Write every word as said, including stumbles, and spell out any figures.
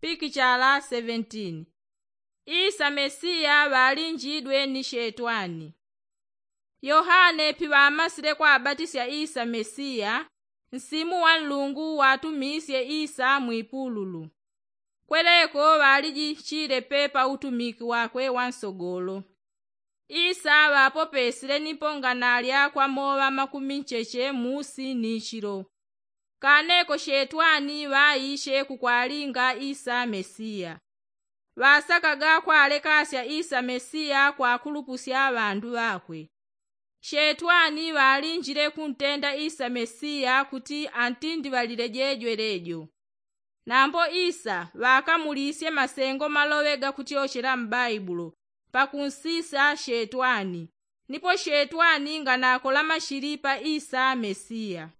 Pikichala seventeen. Isa mesiya ŵalinjidwe ni shetwani. Yohane piŵamasile kwabatisya isa mesiya, nsimu wa nlungu watumisye isa mwipululu. Kweleko ŵalijichile pe pa utumiki wakwe wa nsogolo. Isa ŵapopesile ni ponganalya kwa moŵa makumi ncheche musi ni chilo. Kaneko shetwani ŵaishe kukwalinga isa mesiya. Ŵasakaga kwalekasya isa mesiya kwakulupusya ŵandu ŵakwe. Shetwani ŵalinjile kuntenda isa mesiya kuti antindiŵalile jejwe lejo. Nambo isa ŵakamulisye masengo maloŵe gakutyochela m'baibulo pakunsisa shetwani. Nipo shetwani nganakola mashili pa isa mesiya.